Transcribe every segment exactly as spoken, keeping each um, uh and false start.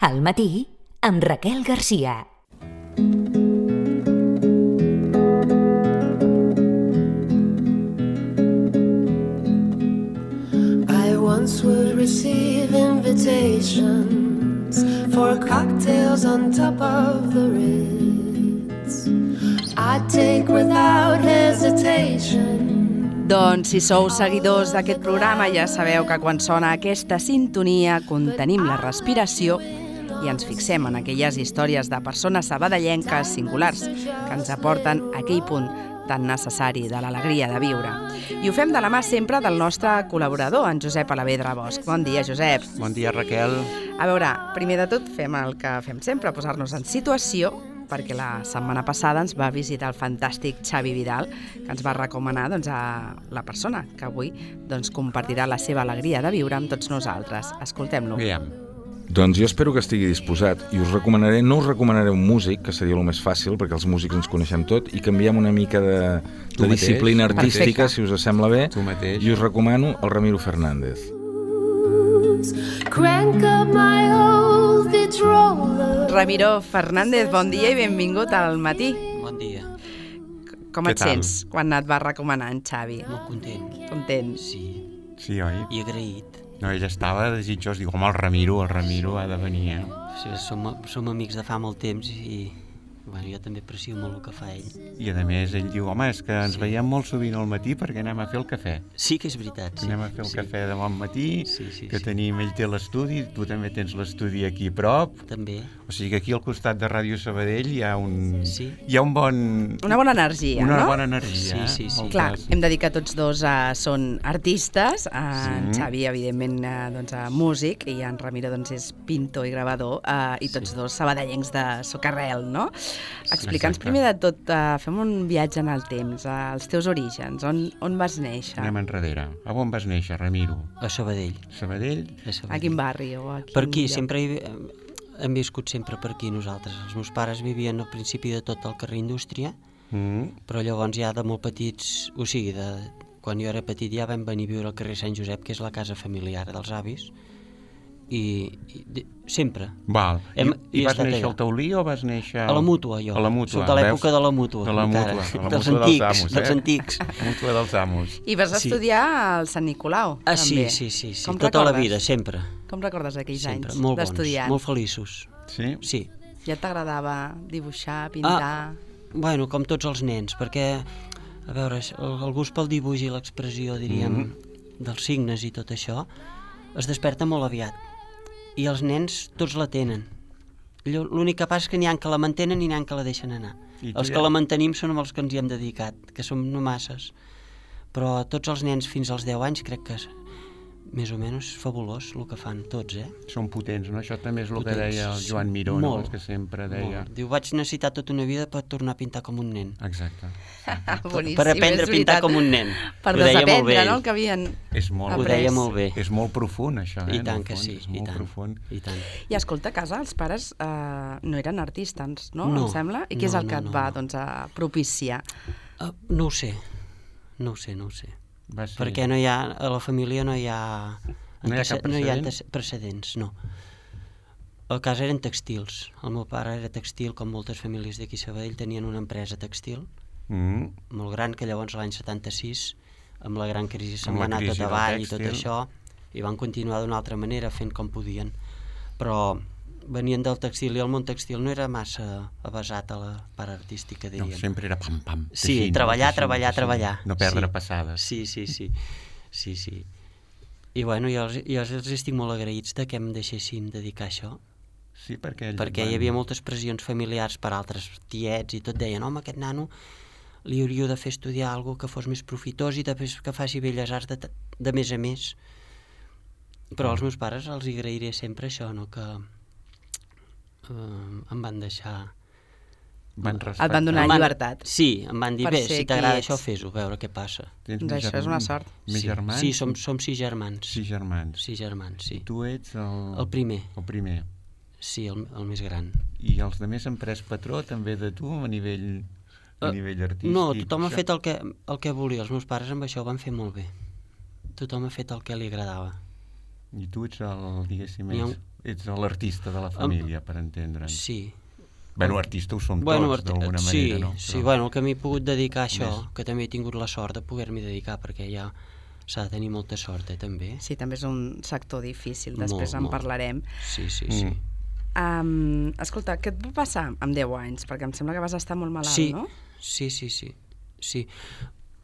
Al matí, amb Raquel Garcia. I once would receive invitations for cocktails on top of the Ritz. I'd take without hesitation. Doncs si sou seguidors d'aquest programa ja sabeu que quan sona aquesta sintonia contenim la respiració i ens fixem en aquelles històries de persones sabadellenques singulars que ens aporten aquell punt tan necessari de l'alegria de viure. I ho fem de la mà sempre del nostre col·laborador, en Josep Alavedra Bosch. Bon dia, Josep. Bon dia, Raquel. A veure, primer de tot fem el que fem sempre, posar-nos en situació, perquè la setmana passada ens va visitar el fantàstic Xavi Vidal, que ens va recomanar doncs, a la persona que avui doncs, compartirà la seva alegria de viure amb tots nosaltres. Escoltem-lo. Aviam. Doncs jo espero que estigui disposat i us recomanaré, no us recomanaré un músic, que seria el més fàcil, perquè els músics ens coneixem tot, i canviem una mica de, de disciplina artística, Perfecte. Si us sembla bé, tu mateix. I us recomano el Ramiro Fernández. Crank up my old Vitrola. Ramiro Fernández, bon dia i benvingut al matí. Bon dia. Com et sents quan et va recomanar en Xavi? Molt content. Content. Sí. Sí, oi? I agraït. No, ell estava desitjós, diu, home, el Ramiro, el Ramiro ha de venir, eh? Sí, som, som amics de fa molt temps i bueno, jo també aprecio molt el que fa ell. I a més ell diu, home, és que ens sí. veiem molt sovint al matí perquè anem a fer el cafè. Sí que és veritat. Sí. Anem a fer el sí. cafè de bon matí, sí, sí, que sí. tenim, ell té l'estudi, tu també tens l'estudi aquí a prop. També. O sigui que aquí al costat de Ràdio Sabadell hi ha un, sí. hi ha un bon... Una bona energia, una no? Una bona energia. Sí, sí, sí. Clar, hem de dir que tots dos uh, són artistes, uh, sí. en Xavi, evidentment, uh, doncs, uh, músic, i en Ramiro doncs, és pintor i gravador, uh, i tots sí. dos sabadellencs de socarrel, no? Explica'ns primer de tot, uh, fem un viatge en el temps, uh, els teus orígens, on, on vas néixer? Anem enrere. A on vas néixer, Ramiro? A Sabadell. Sabadell? A Sabadell. A quin barri? O a quin per aquí, lloc? sempre hi, hem viscut sempre per aquí nosaltres. Els meus pares vivien al principi de tot el carrer Indústria, mm. però llavors ja de molt petits, o sigui, de, quan jo era petit ja vam venir a viure al carrer Sant Josep, que és la casa familiar dels avis, i, i de, sempre. Val. Hem, I, i vas néixer allà. al Taulí o vas néixer... A la Mútua, jo. A la Mútua. Sota l'època de la Mútua. De la Mútua, encara. a la dels Mútua antics, dels amos, eh? dels antics. Mútua dels amos. I vas estudiar sí. al Sant Nicolau, ah, també. Sí, sí, sí, sí. Com tota recordes? la vida, sempre. Com recordes aquells sempre. anys Molt d'estudiant? Molt feliços. Sí? Sí. Ja t'agradava dibuixar, pintar... Ah, bueno, com tots els nens, perquè, a veure, el, el gust pel dibuix i l'expressió, diríem, mm. dels signes i tot això, es desperta molt aviat. I els nens tots la tenen. L'únic que passa és que n'hi ha que la mantenen i n'hi ha que la deixen anar. Els que la mantenim són els que ens hi hem dedicat, que som no masses. Però tots els nens fins als deu anys crec que és més o menys fabulós el que fan tots, eh? Són potents, no? Això també és el potents. que deia el Joan Miró, no? El que sempre deia. Molt. Diu, vaig necessitar tota una vida per tornar a pintar com un nen. Exacte. Boníssim, per aprendre a pintar com un nen. Per ho desaprendre, no?, el que havien és molt, ho deia molt bé. És molt profund, això, eh? I tant que sí, és i molt tant, profund. i tant. I escolta, a casa els pares eh, no eren artistes, no? No, em sembla? I què no, és el que no, et no, va no. doncs, a propiciar? Uh, no ho sé, no ho sé, no ho sé. Va ser... Perquè no hi ha, a la família no hi ha... No hi ha cap no hi ha precedent? precedents, no. A casa eren textils. El meu pare era textil, com moltes famílies d'aquí a Sabadell tenien una empresa textil mm. molt gran, que llavors l'any setanta-sis, amb la gran crisi se'n va anar tot avall i tot això, i van continuar d'una altra manera fent com podien. Però venien del textil i el món textil no era massa avasat a la part artística, diríem. No, sempre era pam-pam. Sí, teixint, treballar, teixint, treballar, teixint, treballar. No perdre sí. passades. Sí, sí, sí. sí, sí. I bueno, jo els, jo els estic molt agraïts de que em deixessin dedicar a això. Sí, perquè... Perquè van... hi havia moltes pressions familiars per altres tiets i tot deien, home, aquest nano li hauríeu de fer estudiar alguna que fos més profitós i després que faci belles arts de, de més a més. Però als meus pares els agrairé sempre això, no?, que eh, em van deixar... Van et van donar van, llibertat. Sí, em van dir, bé, si t'agrada això, fes-ho, a veure què passa. Doncs això és una sort. Més sí, germans? Sí, som, som sis germans. Sis germans. Sis germans, sí. Tu ets el... El primer. El primer. Sí, el, el més gran. I els altres han pres patró també de tu a nivell, a uh, nivell artístic? No, tothom ha fet el que, el que volia. Els meus pares amb això ho van fer molt bé. Tothom ha fet el que li agradava. I tu ets el, diguéssim, ets, ets l'artista de la família, per entendre'ns. Sí. Bueno, artista ho som bueno, tots, d'alguna sí, manera, no? Però... Sí, bueno, el que m'he pogut dedicar a això, Més. que també he tingut la sort de poder-m'hi dedicar, perquè ja s'ha de tenir molta sort, eh, també. Sí, també és un sector difícil, després Molt, en molt. parlarem. Sí, sí, sí. Mm. Um, escolta, què et va passar amb deu anys? Perquè em sembla que vas estar molt malalt, Sí, no? sí, sí, sí, sí.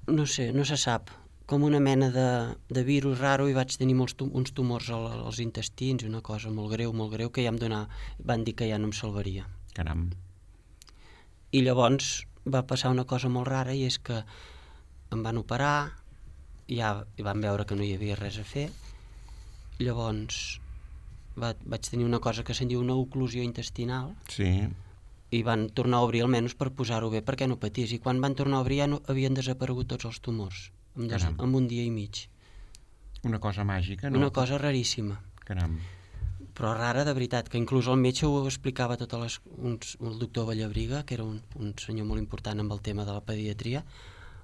No sé, no se sap. Com una mena de, de virus raro i vaig tenir molts tum uns tumors al, als intestins, una cosa molt greu, molt greu, que ja em donava, van dir que ja no em salvaria. Caram. I llavors va passar una cosa molt rara i és que em van operar, ja van veure que no hi havia res a fer, llavors va, vaig tenir una cosa que se'n diu una oclusió intestinal, Sí. i van tornar a obrir almenys per posar-ho bé perquè no patís, i quan van tornar a obrir ja no, havien desaparegut tots els tumors en, des, Caram. en un dia i mig. Una cosa màgica, no? Una cosa raríssima, Caram. però rara de veritat, que inclús el metge ho explicava a totes les... Uns, el doctor Vallabriga, que era un, un senyor molt important amb el tema de la pediatria,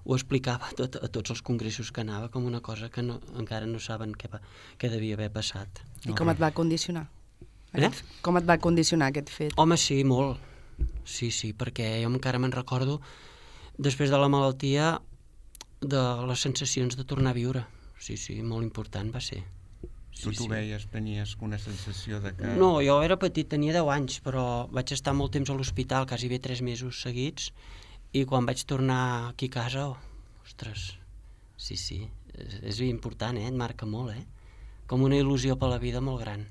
ho explicava tot, a tots els congressos que anava com una cosa que no, encara no saben què, va, què devia haver passat. I com et va condicionar? Eh? Aquest, com et va condicionar aquest fet? Home, sí, molt. Sí, sí, perquè jo encara me'n recordo, després de la malaltia, de les sensacions de tornar a viure. Sí, sí, molt important va ser. Tu Sí, t'ho sí. veies, tenies una sensació de que... No, jo era petit, tenia deu anys, però vaig estar molt temps a l'hospital, quasi bé tres mesos seguits, i quan vaig tornar aquí a casa, oh, ostres, sí, sí, és, és important, eh? Et marca molt, eh? Com una il·lusió per la vida molt gran.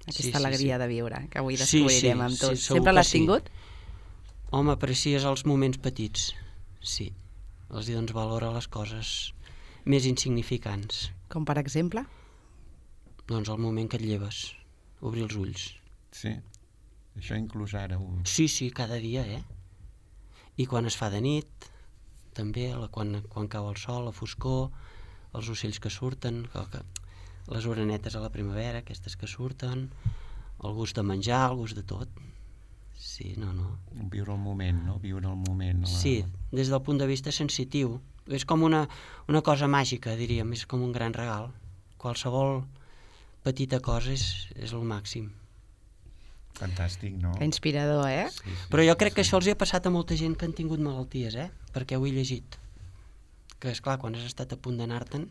Aquesta Sí, sí, alegria sí. de viure, que avui Sí, descobrirem sí, amb sí, tots. segur Sempre que l'has sí. tingut? Home, aprecies els moments petits, sí. Els hi dones valor a les coses més insignificants. Com per exemple? Doncs el moment que et lleves, obrir els ulls. Sí. Això inclús ara ho... Sí, sí, cada dia, eh? I quan es fa de nit, també, la, quan, quan cau el sol, la foscor, els ocells que surten, que, que, les orenetes a la primavera, aquestes que surten, el gust de menjar, el gust de tot. Sí, no, no. Viure el moment, no? Viure el moment. La... Sí, des del punt de vista sensitiu. És com una, una cosa màgica, diríem, és com un gran regal. Qualsevol petita cosa és, és el màxim. Fantàstic, no? Que inspirador, eh? Sí, sí, Però jo sí, crec que sí. això els hi ha passat a molta gent que han tingut malalties, eh? Perquè ho he llegit. Que, esclar, quan has estat a punt d'anar-te'n,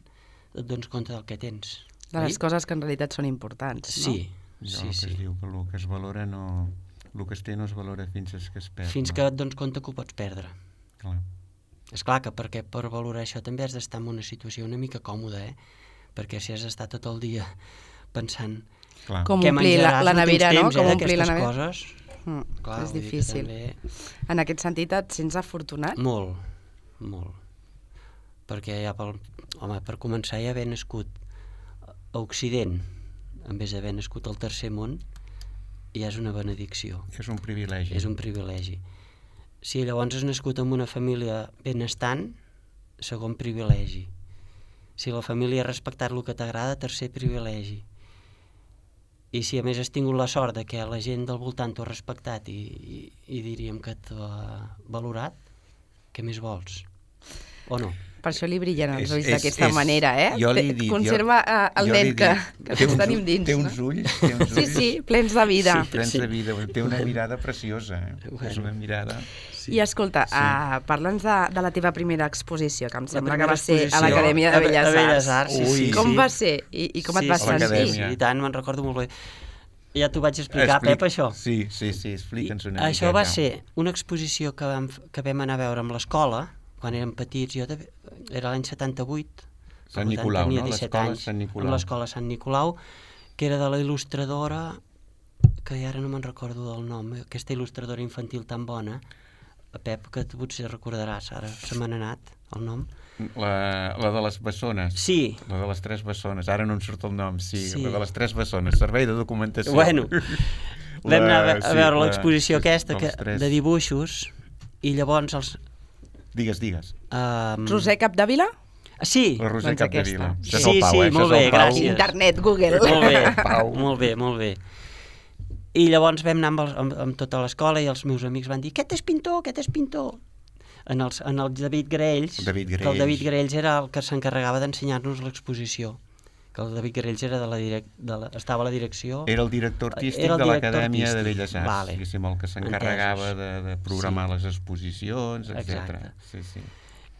et dones compte del que tens. De les oi? coses que en realitat són importants, no? Sí, Jo, sí, el que sí. es diu que el que es valora no... El que es té no es valora fins que es perd. Fins no? que et dones compte que ho pots perdre. Clar. Esclar que perquè per valorar això també has d'estar en una situació una mica còmoda, eh? Perquè si has d'estar tot el dia pensant Clar. Com què omplir la, menjaràs, la no tens nevera, no? temps, Com eh, omplir la d'aquestes nevera. coses. Mm, Clar, és vull dir que difícil. també... En aquest sentit et sents afortunat? Molt, molt. Perquè ja pel... Home, per començar ja haver nascut a Occident, en vez d'haver nascut al tercer món, ja és una benedicció, És un privilegi. és un privilegi. Si llavors has nascut en una família benestant, segon privilegi. Si la família ha respectat el que t'agrada, tercer privilegi. I si a més has tingut la sort de que la gent del voltant t'ho ha respectat i, i, i diríem que t'ho ha valorat, què més vols? O no? Per això li brillen els És- ulls és- d'aquesta és- manera, eh? jo li he Té- dit, Conserva jo- eh, el jo li he nen que, dit, que té tots uns tenim ull- dins, té uns no? ulls, té uns Sí, ulls sí, plens de vida. Sí. plens de vida. Té una mirada preciosa, eh? Bueno. És una mirada... Sí. I escolta, Sí. uh, parla'ns de, de la teva primera exposició, que em sembla que primera va ser a exposició l'Acadèmia de a- a Belles Belles Arts. Arts, sí, Ui. sí, Com sí. va ser? I, i com et sí, vas sí, sentir? l'Acadèmia. Sí, i tant, me'n recordo molt bé. Ja t'ho vaig explicar, Explic- Pep, això. Sí, sí, sí, explica'ns una mica. Això va ser una exposició que vam, que vam anar a veure amb l'escola, quan érem petits, jo de, era l'any setanta-vuit, per Sant tant, Nicolau, tenia no? disset L'escola anys, Sant Nicolau. amb l'escola Sant Nicolau, que era de la il·lustradora, que ara no me'n recordo del nom, aquesta il·lustradora infantil tan bona, Pep, que tu potser recordaràs, ara se m'ha anat el nom. La, la de les bessones. Sí, La de les tres bessones. Ara no em surt el nom, sí. Sí. La de les tres bessones. Servei de documentació. bueno, vam anar a, ve- a sí, veure la- l'exposició aquesta dels que, tres. de dibuixos, i llavors els... Digues, digues. Um, Roser Capdevila? Sí, La Roser doncs Capdevila. aquesta. Això és Sí, el Pau, sí, eh? Això molt és el bé, Pau. gràcies. Internet, Google. molt bé, Pau. molt bé, molt bé. I llavors vam anar amb, el, amb, amb tota l'escola i els meus amics van dir aquest és pintor, aquest és pintor. En, els, en el David Graells, David que el Graells. David Graells era el que s'encarregava d'ensenyar-nos l'exposició, que el David Garells era de la direc... de la... estava a la direcció... Era el director artístic Era el de director l'Acadèmia artístic. de Belles Arts, Vale. diguéssim, el que s'encarregava de, de programar Sí. les exposicions, etcètera. Exacte. Sí, sí.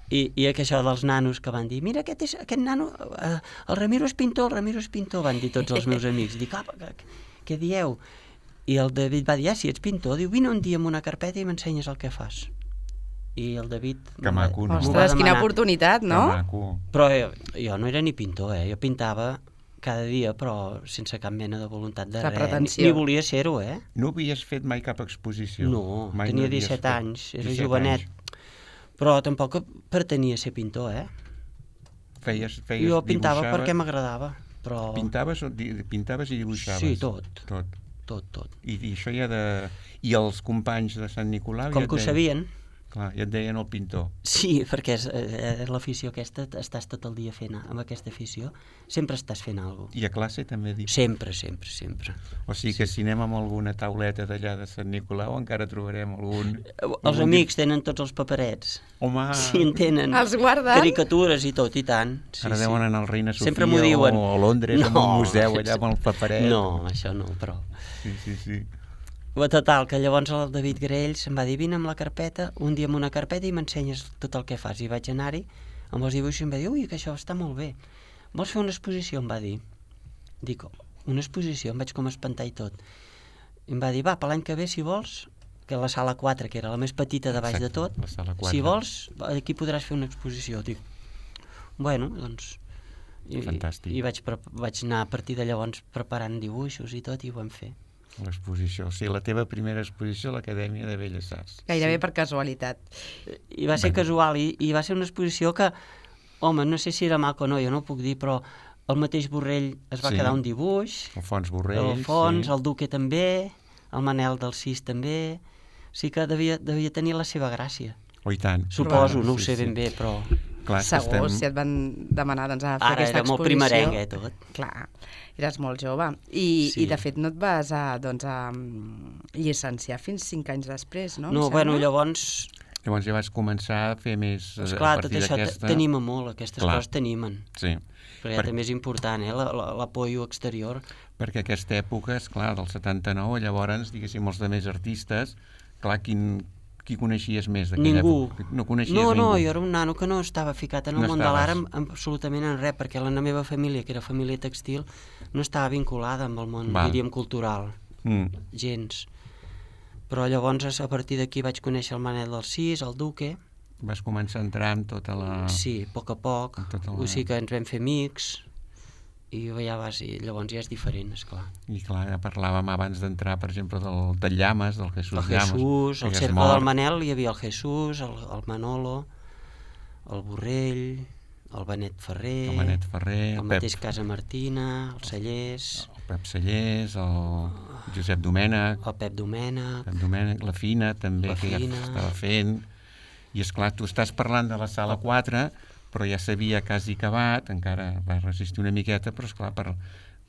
I, i que això dels nanos que van dir, mira, aquest, és, aquest nano, eh, el Ramiro és pintor, el Ramiro és pintor, van dir tots els meus amics. Dic, ah, què, què dieu? I el David va dir, ah, si ets pintor, diu, vine un dia amb una carpeta i m'ensenyes el que fas. I el David... Que maco, no? m'ho va Ostres, quina demanar. oportunitat, no? Que maco. Però jo, jo no era ni pintor, eh? Jo pintava cada dia, però sense cap mena de voluntat de De res. pretensió. Ni, ni volia ser-ho, eh? No havies fet mai cap exposició? No, Mai tenia havies disset fet? anys, era disset jovenet. anys. Però tampoc pretenia ser pintor, eh? Feies, feies, Jo pintava dibuixaves- perquè m'agradava, però... Pintaves, o di- pintaves i dibuixaves? Sí, tot. Tot. Tot, tot. I, i això ja de... I els companys de Sant Nicolau... Com ja et que ho deien- sabien. Clar, ja et deien el pintor. Sí, perquè és, és l'afició aquesta, estàs tot el dia fent, amb aquesta afició, sempre estàs fent alguna cosa. I a classe també dic. Sempre, sempre, sempre. O sigui que si anem amb alguna tauleta d'allà de Sant Nicolau encara trobarem algun... Els algun amics tenen tots els paperets. Home, Sí, en tenen. Els guarden? Caricatures i tot, i tant. Sí, ara sí. deuen anar al Reina Sofia Sempre m'ho diuen. o a Londres, no, amb un museu allà amb el paperet. No, això no, però... Sí, sí, sí. Però total, que llavors el David Garells em va dir, vine amb la carpeta, un dia amb una carpeta i m'ensenyes tot el que fas. I vaig anar-hi amb els dibuixos i em va dir, ui, que això està molt bé. Vols fer una exposició? Em va dir. Dic, una exposició? Em vaig com espantar i tot. I em va dir, va, per l'any que ve, si vols, que la sala quatre, que era la més petita de baix de Exacte, tot, la sala quatre. si vols, aquí podràs fer una exposició. Dic, bueno, doncs... I, Fantàstic. I vaig, pre- vaig anar a partir de llavors preparant dibuixos i tot, i ho vam fer. L'exposició, o sigui, la teva primera exposició a l'Acadèmia de Belles Arts. Gairebé per casualitat. I va ser Bueno. casual, i, i va ser una exposició que, home, no sé si era maco o no, jo no ho puc dir, però el mateix Borrell es va Sí. quedar un dibuix, Alfons Borrell, el Fons, sí. el Duque també, el Manel del Cis també, sí que devia, devia tenir la seva gràcia. Oh, i tant. Suposo, no ho Sí, sé sí. ben bé, però Clar, que Segur, estem... si et van demanar doncs, a fer ara aquesta era molt exposició... primerenc, eh, tot. Clar, eres molt jove. I, Sí. i de fet no et vas a, doncs, a mm, llicenciar fins cinc anys després, no? Em No, sembla? bueno, llavors, Llavors ja vas començar a fer més eh, esclar, a tot partir això d'aquesta... t'anima molt, aquestes Clar. coses t'animen. Sí, Però ja Per- també és important, eh, la- la- l'apoyo exterior. perquè aquesta època, és clar, del setanta-nou, llavors, diguéssim, els de més artistes, clar, quin, qui coneixies més d'aquella Ningú. època? No coneixies No, ningú. no, jo era un nano que no estava ficat en el No món de estaves. l'art en- en absolutament en res, perquè la meva família, que era família textil, no estava vinculada amb el món, Val. diríem, cultural, Mm. gens. Però llavors, a partir d'aquí vaig conèixer el Manel del Cis, el Duque, Vas començar a entrar amb tota la... sí, a poc a poc, Tota la- o sigui que ens vam fer amics, i ja vas, i llavors ja és diferent, esclar. I clar, ja parlàvem abans d'entrar, per exemple, del, del Llames, del Jesús El Llames. Jesús, que el ja és cercle mort. del Manel, hi havia el Jesús, el, el Manolo, el Borrell, el Benet Ferrer, El Benet Ferrer, el el mateix Pep, Casa Martina, el Cellers, el Pep Cellers, el Josep Domènech, el Pep Domènech, Pep Domènech, la Fina també, La que ja Fina. estava fent. I és clar, tu estàs parlant de la sala quatre, però ja s'havia quasi acabat, encara va resistir una miqueta, però és clar, per...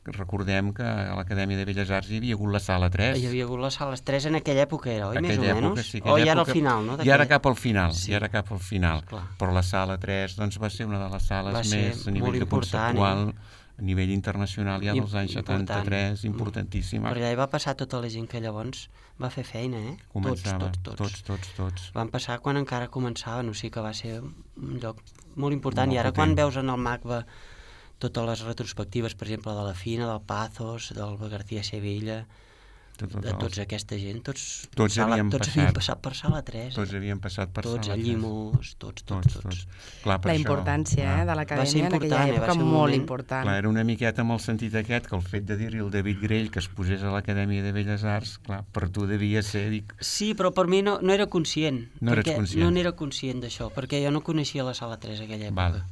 recordem que a l'Acadèmia de Belles Arts hi havia hagut la sala tres. hi havia hagut les sales tres en aquella època, era, oi, més o Aquella època, menys? sí, O aquella ja era al època- final, no? Ja era d'aquella- cap al final, Sí. ja era cap al final. Esclar. Però la sala tres doncs, va ser una de les sales Va ser més a nivell molt de important, conceptual, a nivell internacional, ja I- dels anys important. setanta-tres, importantíssima. Per allà hi va passar tota la gent que llavors va fer feina, eh? Començava, tots, tots, tots. tots, tots, tots. Van passar quan encara començaven, o sigui que va ser un lloc molt important. Molt I ara potent. quan veus en el MACBA totes les retrospectives, per exemple, de la Fina, del Pazos, del García Sevilla, Tot, tot, de tots aquesta gent, tots, Tots sala, havien tots passat. havien passat per sala tres. Tots havien passat per tots, sala a tres. Llimos, tots, tots, Tots, tots. tots. Clar, per La això, importància clar, eh, de Va ser l'acadèmia en aquella important, eh, va època, ser un molt moment- important. Clar, era una miqueta amb el sentit aquest, que el fet de dir-li al David Grell que es posés a l'Acadèmia de Belles Arts, clar, per tu devia ser, dic, Sí, però per mi no, no era conscient. No eres perquè conscient. No n'era conscient d'això, perquè jo no coneixia la sala tres aquella època. val.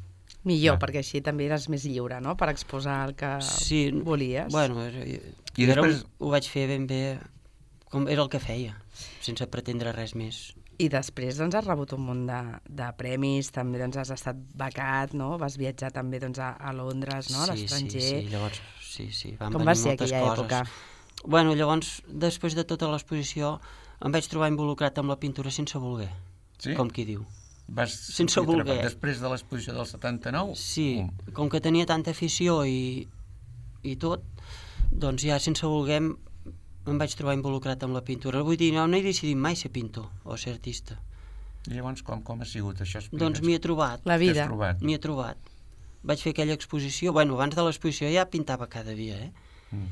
Millor, Clar. perquè així també eres més lliure, no?, per exposar el que Sí, volies. Bueno, eh, I jo era després- un- ho vaig fer ben bé, com era el que feia, sense pretendre res més. I després doncs, has rebut un munt de, de premis, també doncs, has estat becat, no? Vas viatjar també doncs, a, a Londres, no? a Sí, l'estranger. Sí, sí, llavors, sí, sí, van Com venir va ser moltes aquella coses. època? Bueno, llavors, després de tota l'exposició, em vaig trobar involucrat amb la pintura sense voler, Sí? com qui diu. Vas sense voler. Després de l'exposició del setanta-nou? Sí, com que tenia tanta afició i, i tot, doncs ja sense voler em vaig trobar involucrat amb la pintura. Vull dir, no, no he decidit mai ser pintor o ser artista. I llavors com, com ha sigut això? Explica'ns. Doncs m'hi he trobat. La vida. M'hi he trobat. Vaig fer aquella exposició, bueno, abans de l'exposició ja pintava cada dia, eh? Mm.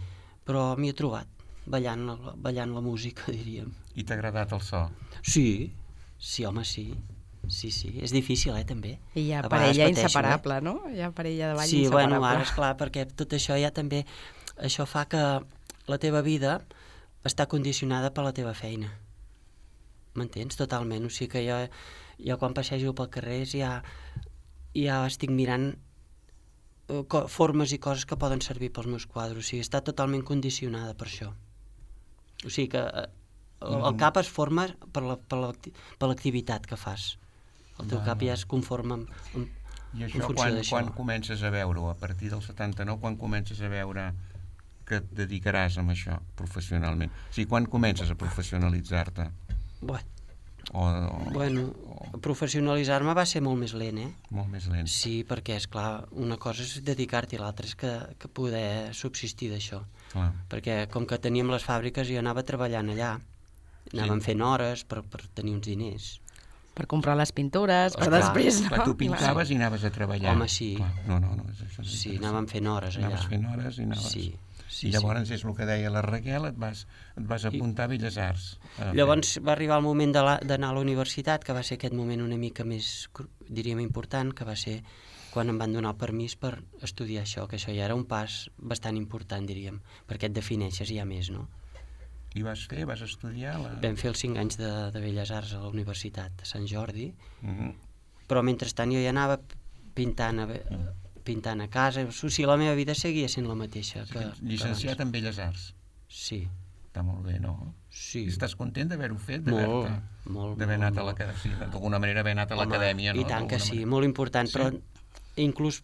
Però m'hi he trobat, ballant, ballant la música, diríem. I t'ha agradat el so? Sí, sí, home, sí. Sí, sí, és difícil, eh, també. I hi ha parella inseparable, eh? No? Hi ha parella de ball sí, inseparable. Sí, bueno, ara, esclar, perquè tot això ja també, això fa que la teva vida està condicionada per la teva feina. M'entens? Totalment. O sigui que jo, jo quan passejo pel carrer ja, ja estic mirant formes i coses que poden servir pels meus quadres. O sigui, està totalment condicionada per això. O sigui que el, el cap es forma per la, per la, per l'activitat que fas. El teu cap ja es conforma en, en, I això, en funció quan, d'això. quan comences a veure-ho? A partir del setanta-nou, quan comences a veure que et dedicaràs a això professionalment? O sigui, quan comences a professionalitzar-te? Bueno, o, o, bueno o... professionalitzar-me va ser molt més lent, eh? Molt més lent. Sí, perquè, és clar, una cosa és dedicar-t'hi, l'altra és que, que poder subsistir d'això. Clar. Perquè com que teníem les fàbriques, jo anava treballant allà, anàvem sí. fent hores per, per tenir uns diners. Per comprar les pintures, per clar, després... Clar, no? tu pintaves i anaves a treballar. Home, sí. Clar. No, no, no. És això, sí, anàvem fent hores allà. Anaves fent hores i anaves... Sí. Sí, I llavors sí. és el que deia la Raquel, et vas, et vas apuntar a Belles Arts. A llavors va arribar el moment d'anar a la universitat, que va ser aquest moment una mica més, diríem, important, que va ser quan em van donar el permís per estudiar això, que això ja era un pas bastant important, diríem, perquè et defineixes ja més, no? I vas fer, vas estudiar? La... Vam fer els cinc anys de, de Belles Arts a la Universitat de Sant Jordi, mm-hmm. però mentrestant jo ja anava pintant a, pintant a casa, o sigui, la meva vida seguia sent la mateixa. Que, llicenciat que en Belles Arts? Sí. Està molt bé, no? Sí. I estàs content d'haver-ho fet? Molt, molt. D'haver anat a l'acadèmia, sí, d'alguna manera haver anat a l'acadèmia, no? I tant que sí, manera. Molt important, sí? Però inclús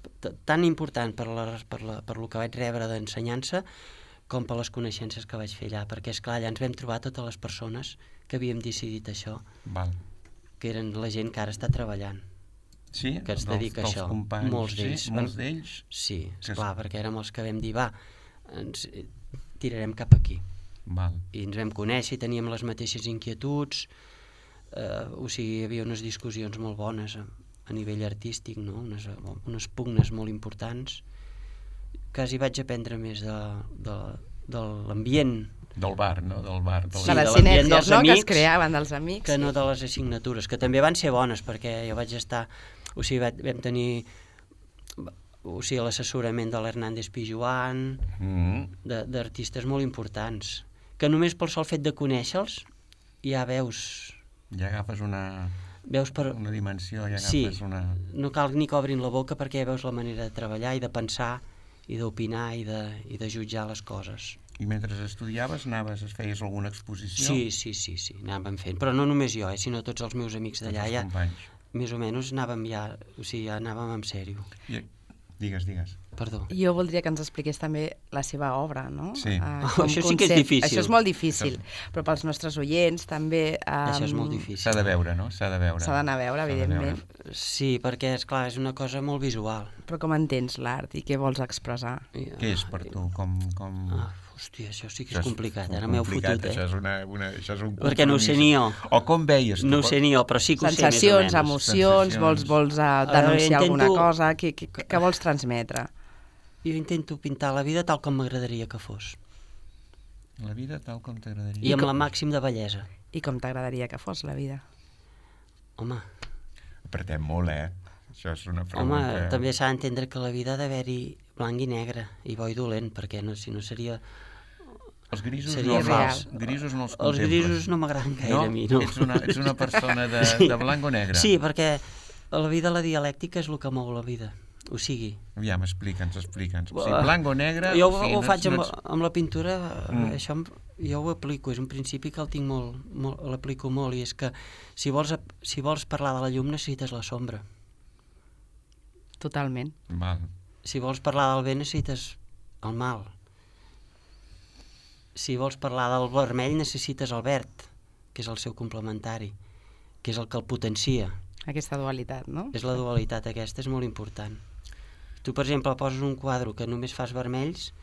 tan important per, la, per, la, per lo que vaig rebre d'ensenyança com per les coneixences que vaig fer allà, perquè, esclar, allà ens vam trobar totes les persones que havíem decidit això, Val. Que eren la gent que ara està treballant. Sí, que es dedica dels, a això, companys, molts d'ells. Sí, molts d'ells. Sí, que esclar, perquè érem els que vam dir, va, ens tirarem cap aquí. Val. I ens vam conèixer i teníem les mateixes inquietuds, eh, o sigui, hi havia unes discussions molt bones a, a nivell artístic, no? unes, unes pugnes molt importants. Quasi vaig aprendre més de, de, de l'ambient. Del bar, no? Del bar. Del... Sí, de les de sinergies, no? Amics, que es creaven dels amics. Que no de les assignatures, que també van ser bones, perquè jo vaig estar... O sigui, vam tenir o sigui, l'assessorament de l'Hernández Pijuan, mm-hmm. d'artistes molt importants, que només pel sol fet de conèixer-los ja veus... Ja agafes una... Veus per... una dimensió, ja agafes sí, una... no cal ni que obrin la boca perquè ja veus la manera de treballar i de pensar i d'opinar i, de, i de jutjar les coses. I mentre estudiaves anaves, feies alguna exposició? Sí, sí, sí, sí, anàvem fent, però no només jo, eh, sinó tots els meus amics d'allà, ja, més o menys anàvem ja, o sigui, ja anàvem en sèrio. I, digues, digues. Perdó. Jo voldria que ens expliqués també la seva obra, no? Sí. Uh, oh, això sí que és difícil. Això és molt difícil, però pels nostres oients també... Um, això és molt difícil. S'ha de veure, no? S'ha de veure. S'ha d'anar a veure, evidentment. Veure. Sí, perquè, esclar, és una cosa molt visual. Però com entens l'art i què vols expressar? I, què és per tu? Com... com... Ah, hòstia, això sí que és, és complicat, ara m'heu fotut, eh? Això és, una, una, això és un compromís. Perquè no ho sé ni jo. O com veies tu? No ho sé ni jo, però sí que ho sensacions, sé més o menys. emocions, vols, vols uh, denunciar intento... alguna cosa, què, què, què vols transmetre? Jo intento pintar la vida tal com m'agradaria que fos. La vida tal com t'agradaria. I amb com... la màxim de bellesa. I com t'agradaria que fos la vida? Home... Apretem molt, eh? Això és una pregunta... Home, també s'ha d'entendre que la vida ha d'haver-hi blanc i negre, i bo i dolent, perquè no, si no seria... Els grisos seria no, fals. grisos no els contemples. Els grisos no m'agraden gaire no? a mi, no. Ets una, ets una persona de, sí. de blanc o negre? Sí, perquè a la vida la dialèctica és el que mou la vida. O sigui... Aviam, explica'ns, explica'ns. O sigui, blanc o negre... Jo o sigui, ho no faig ets, amb, no ets... amb la pintura, mm. això jo ho aplico, és un principi que el tinc molt, molt l'aplico molt, i és que si vols, si vols parlar de la llum necessites la sombra. Totalment. Val. Si vols parlar del bé necessites el mal. Si vols parlar del vermell necessites el verd, que és el seu complementari, que és el que el potencia. aquesta dualitat, no? És la dualitat aquesta, és molt important. Tu, per exemple, poses un quadre que només fas vermells,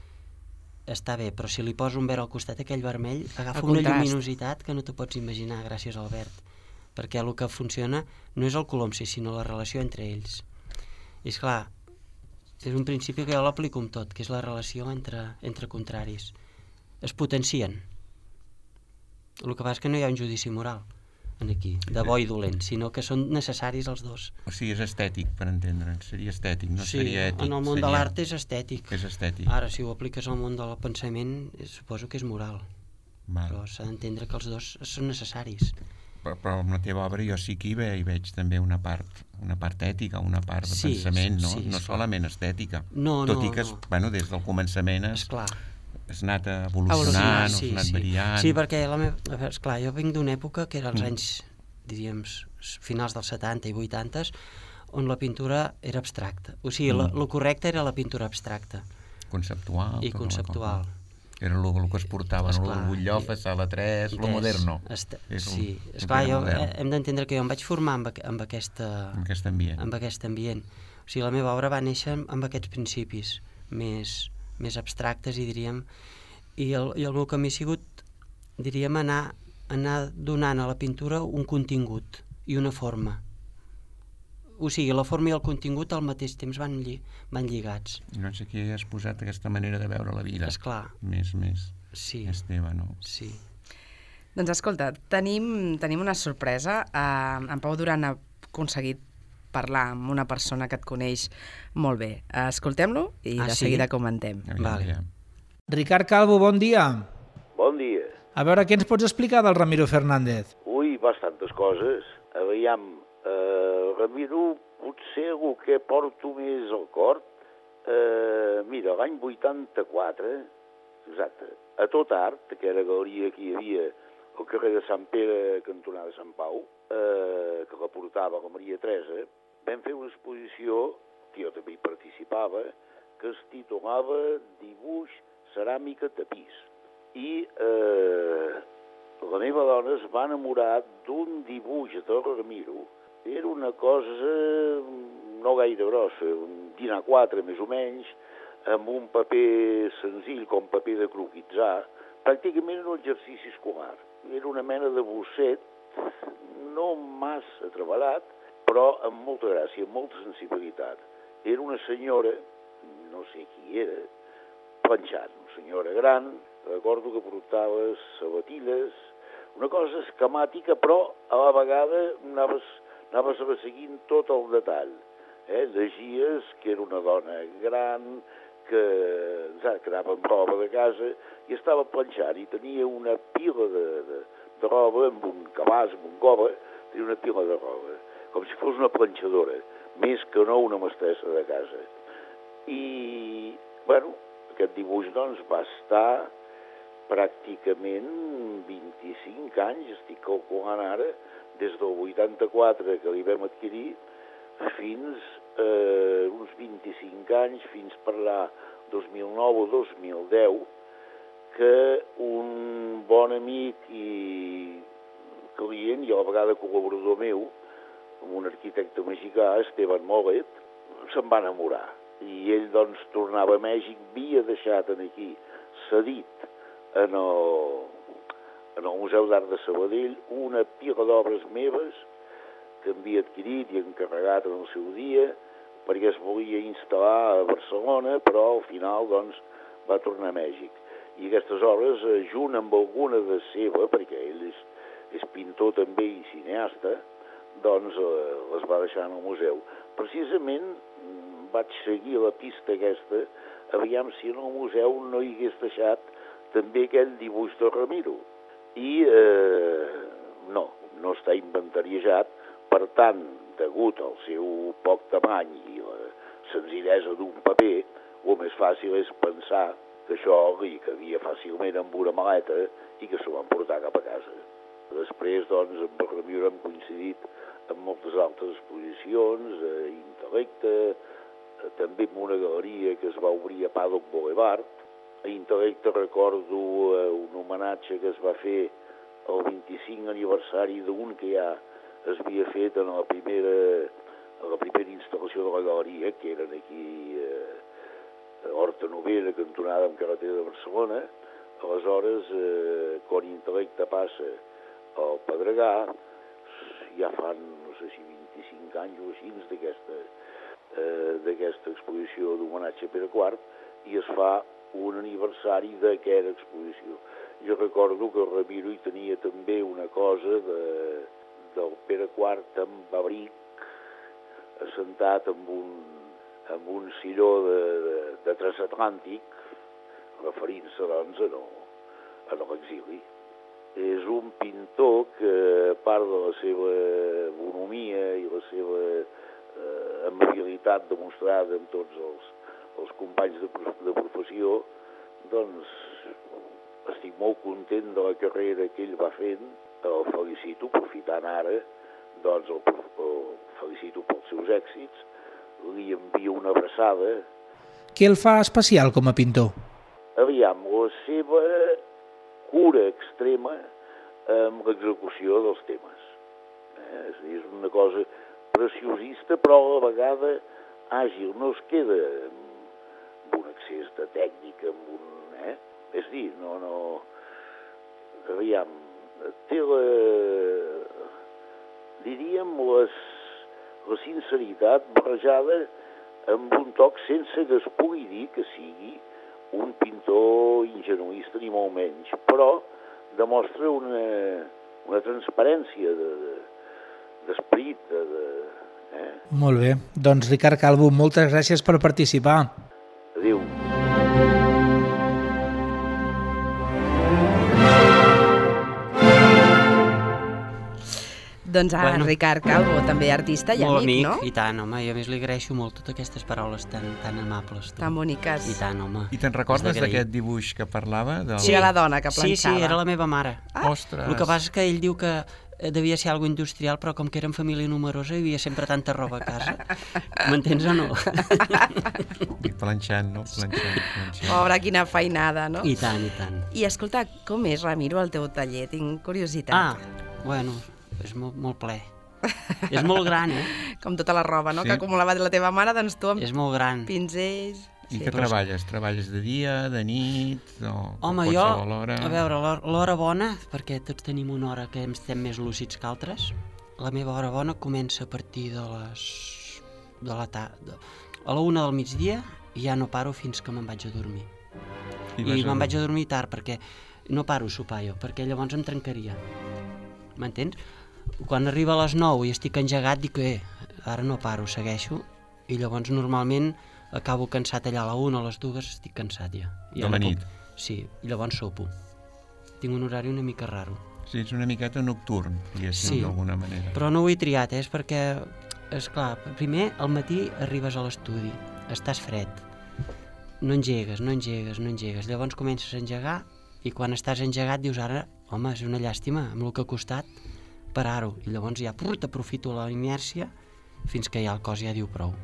està bé, però si li poses un verd al costat, aquell vermell agafa una lluminositat que no te pots imaginar gràcies al verd, perquè el que funciona no és el color en si, sinó la relació entre ells. I esclar, és un principi que jo l'aplico amb tot, que és la relació entre, entre contraris. Es potencien. El que passa és que no hi ha un judici moral en aquí, de bo i dolent, sinó que són necessaris els dos. O sigui, és estètic, per entendre'ns, seria estètic, no sí, seria ètic. En el món seria... de l'art és estètic. És estètic. Ara, si ho apliques al món del pensament, suposo que és moral. Val. Però s'ha d'entendre que els dos són necessaris. Però, però en la teva obra jo sí que hi, ve, hi veig també una part, una part ètica, una part de sí, pensament, no, sí, no solament estètica. No, Tot no, i que, no. bueno, des del començament has, esclar. has anat evolucionant, sí, has anat sí. variant... Sí, perquè la meva... esclar, jo vinc d'una època que era els Mm. anys, diríem, finals dels setanta i vuitanta, on la pintura era abstracta. O sigui, mm. el correcte era la pintura abstracta. Conceptual. I conceptual. Era el, el que es portava, no? El butllofa, sala tres, lo moderno. Est és sí, el, esclar, el jo, modern. hem d'entendre que jo em vaig formar amb, amb, aquesta, amb aquest ambient. amb aquest ambient. O sigui, la meva obra va néixer amb aquests principis més, més abstractes, i diríem, i el, i el meu camí ha sigut, diríem, anar, anar donant a la pintura un contingut i una forma. O sigui, la forma i el contingut al mateix temps van, lli van lligats. Doncs aquí has posat aquesta manera de veure la vida. Esclar. Més, més. Sí. És teva, no? Sí. Doncs escolta, tenim, tenim una sorpresa. Uh, en Pau Duran ha aconseguit parlar amb una persona que et coneix molt bé. Uh, Escoltem-lo i ah, de sí? seguida comentem. Vale. Ja. Ricard Calvo, bon dia. Bon dia. A veure, què ens pots explicar del Ramiro Fernández? Ui, bastantes coses. Aviam, eh, Ramiro, potser el que porto més al cor, eh, mira, l'any vuitanta-quatre, exacte, a Tot Art, que era la galeria que hi havia al carrer de Sant Pere, cantonada Sant Pau, eh, que la portava la Maria Teresa, vam fer una exposició, que jo també hi participava, que es titulava Dibuix, ceràmica, tapís. I eh, la meva dona es va enamorar d'un dibuix de Ramiro. Era una cosa no gaire grossa, un dinar quatre més o menys, amb un paper senzill com paper de croquitzar, pràcticament un exercici escolar. Era una mena de bosset, no massa treballat, però amb molta gràcia, amb molta sensibilitat. Era una senyora, no sé qui era, planxant, una senyora gran, recordo que portava sabatilles, una cosa esquemàtica, però a la vegada anaves, anaves seguint tot el detall. Eh? Llegies que era una dona gran, que, que anava amb roba de casa i estava planxant i tenia una pila de, de, de roba amb un cabàs, amb un cova, tenia una pila de roba, com si fos una planxadora, més que no una mestressa de casa. I, bueno, aquest dibuix, doncs, va estar pràcticament vint-i-cinc anys, estic calculant ara, des del vuitanta-quatre que li vam adquirir, fins eh, uns vint-i-cinc anys, fins per la dos mil nou o dos mil deu, que un bon amic i client, i a la vegada col·laborador meu, un arquitecte mexicà, Esteban Molet, se'n va enamorar. I ell, doncs, tornava a Mèxic, havia deixat aquí, cedit en el, en el Museu d'Art de Sabadell, una pila d'obres meves que havia adquirit i encarregat en el seu dia, perquè es volia instal·lar a Barcelona, però al final, doncs, va tornar a Mèxic. I aquestes obres, junt amb alguna de seva, perquè ell és, és pintor també i cineasta, doncs eh, les va deixar en el museu. Precisament vaig seguir la pista aquesta, aviam si en el museu no hi hagués deixat també aquell dibuix de Ramiro. I eh, no, no està inventariejat, per tant, degut al seu poc tamany i la senzillesa d'un paper, el més fàcil és pensar que això li cabia fàcilment amb una maleta i que s'ho van portar cap a casa. Després, doncs, amb el Ramiro hem coincidit en moltes altres exposicions, eh, Intel·lecte, eh, també en una galeria que es va obrir a Paddock Boulevard. A Intel·lecte recordo eh, un homenatge que es va fer el vint-i-cinc aniversari d'un que hi ha es havia fet en la primera, en la primera instal·lació de la galeria, que eren aquí eh, a Horta Novera, cantonada amb carretera de Barcelona. Aleshores, eh, quan Intel·lecte passa al Pedregà, ja fan, no sé si vint-i-cinc anys o així, d'aquesta eh, d'aquesta exposició d'homenatge a Pere quart, i es fa un aniversari d'aquesta exposició. Jo recordo que el Ramiro hi tenia també una cosa de, del Pere quart amb abric, assentat amb un, amb un silló de, de, de transatlàntic, referint-se, doncs, a, no, a l'exili. És un pintor que, a part de la seva bonomia i la seva eh, amabilitat demostrada amb tots els, els companys de, de professió, doncs estic molt content de la carrera que ell va fent, el felicito, aprofitant ara, doncs el, el felicito pels seus èxits, li envio una abraçada. Què el fa especial com a pintor? Aviam, la seva cura extrema amb l'execució dels temes. Eh? És, és una cosa preciosista, però a la vegada àgil, no es queda amb un excés de tècnica, amb un... Eh? És dir, no, no... Aviam, té la... diríem les, la sinceritat barrejada amb un toc sense que es pugui dir que sigui un pintor ingenuista ni molt menys, però demostra una, una transparència de, de, d'esperit. De, de, eh? Molt bé. Doncs Ricard Calvo, moltes gràcies per participar. Adéu. Doncs a Bueno. Ricard Calvo, també artista i Molt amic, amic, no? i tant, home, i a més li agraeixo molt totes aquestes paraules tan, tan amables. Tu. Tan boniques. I tant, home. I te'n recordes És d'agrair. d'aquest dibuix que parlava? Del... Sí, de la dona que Sí, planxava. sí, era la meva mare. Ah. Ostres! El que passa és que ell diu que eh, devia ser algo industrial, però com que érem família numerosa hi havia sempre tanta roba a casa. M'entens o no? I planxant, no? Planxant, planxant. Pobre, quina feinada, no? I tant, i tant. I escolta, com és, Ramiro, el teu taller? Tinc curiositat. Ah, bueno, és molt, molt ple. És molt gran, eh? Com tota la roba, no? Sí. Que acumulava de la teva mare, doncs tu amb És molt gran. pinzells... I què treballes? Treballes de dia, de nit, o Home, qualsevol jo, hora? a veure, l'hora- l'hora bona, perquè tots tenim una hora que estem més lúcids que altres, la meva hora bona comença a partir de les... de la tarda. A la una del migdia i ja no paro fins que me'n vaig a dormir. I I vas a me'n vaig a dormir tard perquè no paro a sopar jo, perquè llavors em trencaria. M'entens? Quan arriba a les nou i estic engegat dic que eh, ara no paro, segueixo, i llavors normalment acabo cansat allà a la una o a les dues, estic cansat ja. I De ja la no nit? Puc... Sí, i llavors sopo. Tinc un horari una mica raro. Sí, ets una miqueta nocturn, diguéssim, Sí. d'alguna manera. Però no ho he triat, eh? És perquè, és clar, primer al matí arribes a l'estudi, estàs fred, no engegues, no engegues, no engegues, llavors comences a engegar i quan estàs engegat dius ara, home, és una llàstima, amb el que ha costat parar-ho, i llavors ja prr, t'aprofito la inèrcia fins que ja el cos ja diu prou.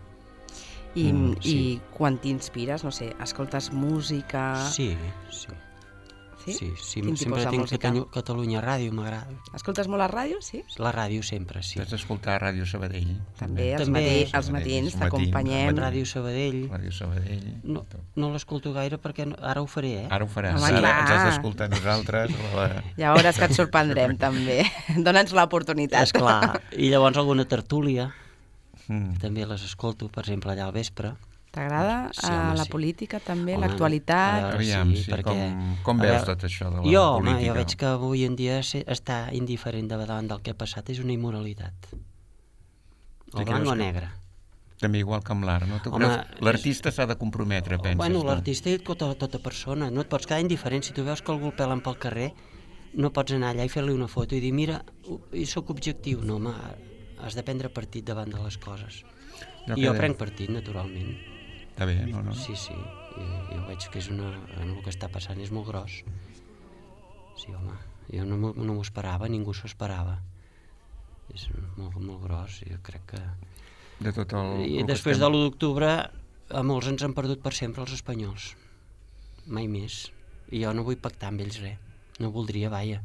I, Mm, i sí. quan t'inspires, no sé, escoltes música... Sí, sí. Sí? Sí, sí, Quin tipus sempre de tinc música? Catalunya, Catalunya Ràdio, m'agrada. Escoltes molt la ràdio, sí? La ràdio sempre, sí. T'has d'escoltar Ràdio Sabadell. També, els, També. matí, els Sabadell, matins els t'acompanyem. matins, Ràdio Sabadell. Ràdio Sabadell. No, tot. no l'escolto gaire perquè no, ara ho faré, eh? Ara ho faràs. Home, Ara clar. ens has d'escoltar nosaltres. La... Ja veuràs que et sorprendrem, també. Dóna'ns l'oportunitat. És clar. I llavors alguna tertúlia, Mm. també les escolto, per exemple, allà al vespre. T'agrada Sí, eh, home, la sí. política, també, Home, l'actualitat? a veure, Aviam, sí, perquè- com, com a veus veure, tot això de la Jo, home, política? jo veig que avui en dia se- estar indiferent davant del que ha passat és una immoralitat. O Sí, blanc creus o que- negre. També igual que amb l'art, no? Tu Home, creus... L'artista s'ha de comprometre, penses, Bueno, tu? l'artista és tota, tota persona, no et pots quedar indiferent. Si tu veus que algú el pelen pel carrer, no pots anar allà i fer-li una foto i dir, mira, i sóc objectiu. No, home, has de prendre partit davant de les coses. No I jo queda- prenc partit, naturalment. Està bé, no, no? Sí, sí, jo, jo veig que és una, el que està passant és molt gros. Sí, home, jo no, m'ho- no m'ho esperava, ningú s'ho esperava. És molt, molt gros, jo crec que... De tot el... I el que després estem- de l'u d'octubre, a molts ens han perdut per sempre els espanyols. Mai més. I jo no vull pactar amb ells res. No voldria, vaja.